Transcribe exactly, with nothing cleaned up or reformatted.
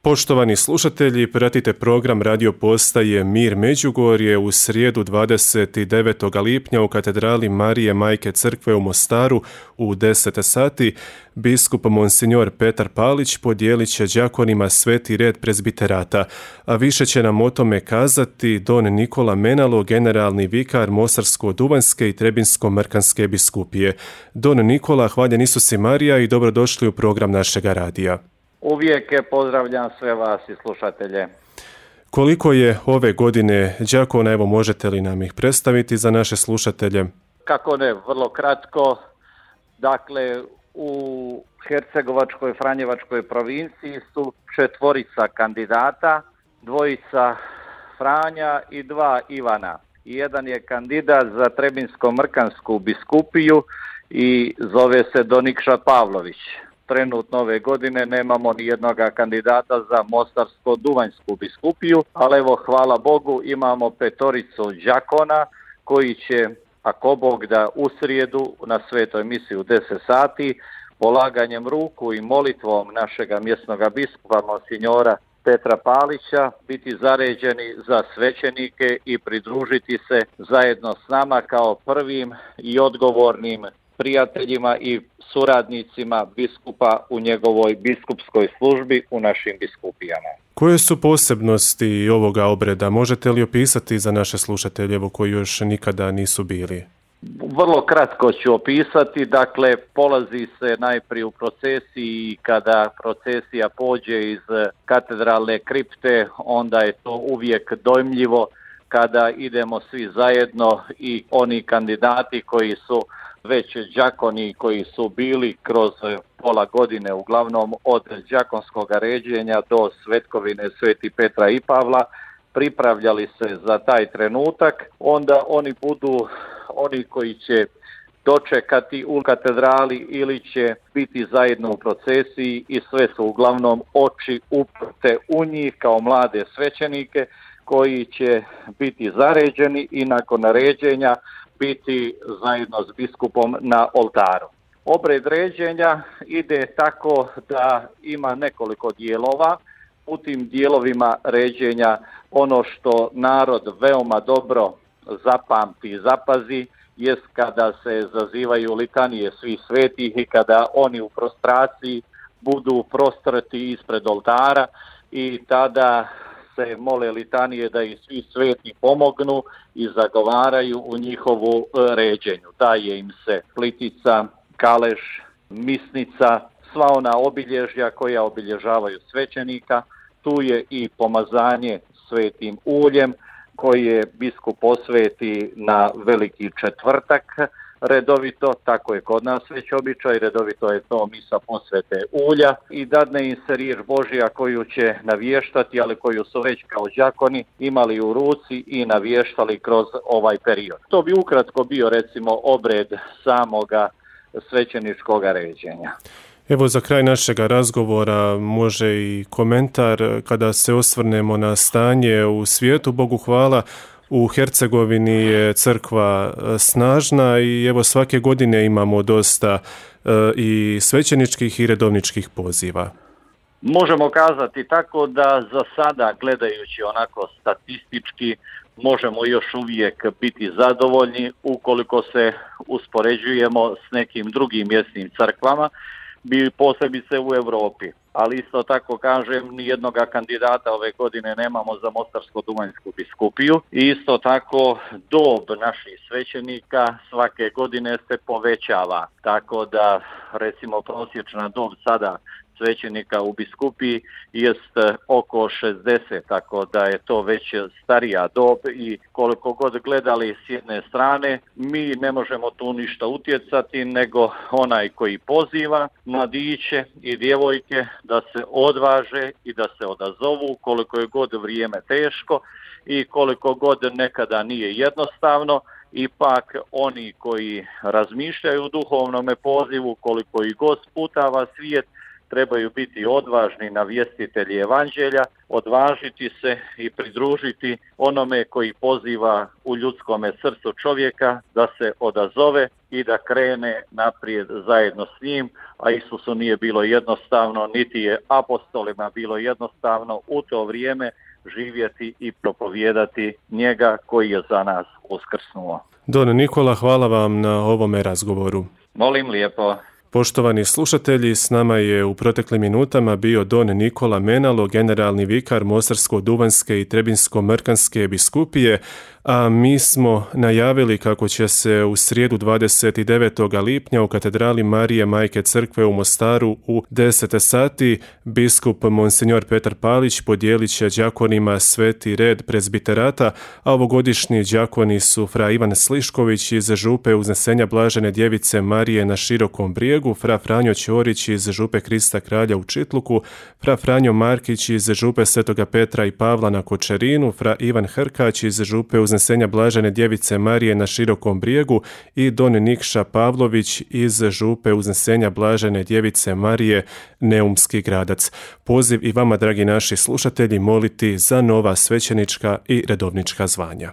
Poštovani slušatelji, pratite program radio postaje Mir Međugorje u srijedu dvadeset devetog lipnja u katedrali Marije Majke Crkve u Mostaru u deset sati. Biskup Monsignor Petar Palić podijelit će đakonima sveti red prezbiterata, a više će nam o tome kazati don Nikola Menalo, generalni vikar Mostarsko-duvanjske i Trebinsko-mrkanske biskupije. Don Nikola, hvaljen Isus i Marija i dobrodošli u program našega radija. Uvijek je pozdravljam sve vas i slušatelje. Koliko je ove godine đakona, evo možete li nam ih predstaviti za naše slušatelje? Kako ne, vrlo kratko. Dakle, u Hercegovačkoj Franjevačkoj provinciji su četvorica kandidata, dvojica Franja i dva Ivana. Jedan je kandidat za Trebinsko-mrkansku biskupiju i zove se don Nikša Pavlović. Trenutno ove godine nemamo ni jednog kandidata za Mostarsko-duvanjsku biskupiju, ali evo hvala Bogu imamo petoricu đakona koji će, ako Bog da, u srijedu na svetoj misi u deset sati polaganjem ruku i molitvom našega mjesnog biskupa Monsignora Petra Palića biti zaređeni za svećenike i pridružiti se zajedno s nama kao prvim i odgovornim prijateljima i suradnicima biskupa u njegovoj biskupskoj službi u našim biskupijama. Koje su posebnosti ovoga obreda? Možete li opisati za naše slušatelje koji još nikada nisu bili? Vrlo kratko ću opisati. Dakle, polazi se najprije u procesiji. Kada procesija pođe iz katedralne kripte, onda je to uvijek dojmljivo kada idemo svi zajedno i oni kandidati koji su već đakoni, koji su bili kroz pola godine, uglavnom od đakonskog ređenja do svetkovine Sveti Petra i Pavla, pripravljali se za taj trenutak, onda oni budu oni koji će dočekati u katedrali ili će biti zajedno u procesiji i sve su uglavnom oči uprte u njih kao mlade svećenike koji će biti zaređeni i nakon naređenja biti zajedno s biskupom na oltaru. Obred ređenja ide tako da ima nekoliko dijelova. U tim dijelovima ređenja ono što narod veoma dobro zapamti i zapazi jest kada se zazivaju litanije svih svetih i kada oni u prostraciji budu prostrti ispred oltara i tada se mole litanije da i svi sveti pomognu i zagovaraju u njihovu ređenju. Daje im se plitica, kaleš, misnica, sva ona obilježja koja obilježavaju svećenika. Tu je i pomazanje svetim uljem koje biskup posveti na Veliki četvrtak redovito, tako je kod nas već običaj, redovito je to misa posvete ulja i dadne im se riječ Božja koju će navještati, ali koju su već kao đakoni imali u ruci i navještali kroz ovaj period. To bi ukratko bio recimo obred samoga svećeničkog ređenja. Evo za kraj našega razgovora može i komentar kada se osvrnemo na stanje u svijetu. Bogu hvala, u Hercegovini je crkva snažna i evo svake godine imamo dosta e, i svećeničkih i redovničkih poziva. Možemo kazati tako da za sada, gledajući onako statistički, možemo još uvijek biti zadovoljni ukoliko se uspoređujemo s nekim drugim mjesnim crkvama, bi posebice u Europi. Ali isto tako kažem, ni jednog kandidata ove godine nemamo za Mostarsko-duvanjsku biskupiju. I isto tako dob naših svećenika svake godine se povećava. Tako da recimo prosječna dob sada svećenika u biskupiji jest oko šezdeset, tako da je to već starija dob i koliko god gledali s jedne strane, mi ne možemo tu ništa utjecati, nego onaj koji poziva mladiće i djevojke da se odvaže i da se odazovu koliko je god vrijeme teško i koliko god nekada nije jednostavno. Ipak oni koji razmišljaju o duhovnome pozivu, koliko i god sputava svijet, trebaju biti odvažni navjestitelji evanđelja, odvažiti se i pridružiti onome koji poziva u ljudskome srcu čovjeka da se odazove i da krene naprijed zajedno s njim, a Isusu nije bilo jednostavno, niti je apostolima bilo jednostavno u to vrijeme živjeti i propovijedati njega koji je za nas uskrsnuo. Don Nikola, hvala vam na ovome razgovoru. Molim lijepo. Poštovani slušatelji, s nama je u proteklim minutama bio Don Nikola Menalo, generalni vikar Mostarsko-duvanjske i Trebinsko-mrkanske biskupije, a mi smo najavili kako će se u srijedu dvadeset devetog lipnja u katedrali Marije Majke Crkve u Mostaru u deset sati biskup Monsignor Petar Palić podijelit će đakonima sveti red prezbiterata, a ovogodišnji đakoni su fra Ivan Slišković iz župe Uznesenja Blažene Djevice Marije na Širokom Brijegu, fra Franjo Ćorić iz župe Krista Kralja u Čitluku, fra Franjo Markić iz župe Svetoga Petra i Pavla na Kočerinu, fra Ivan Hrkać iz župe Uznesenja Blažene Djevice Marije na Širokom Brijegu i Don Nikša Pavlović iz župe Uznesenja Blažene Djevice Marije Neumski Gradac. Poziv i vama, dragi naši slušatelji, moliti za nova svećenička i redovnička zvanja.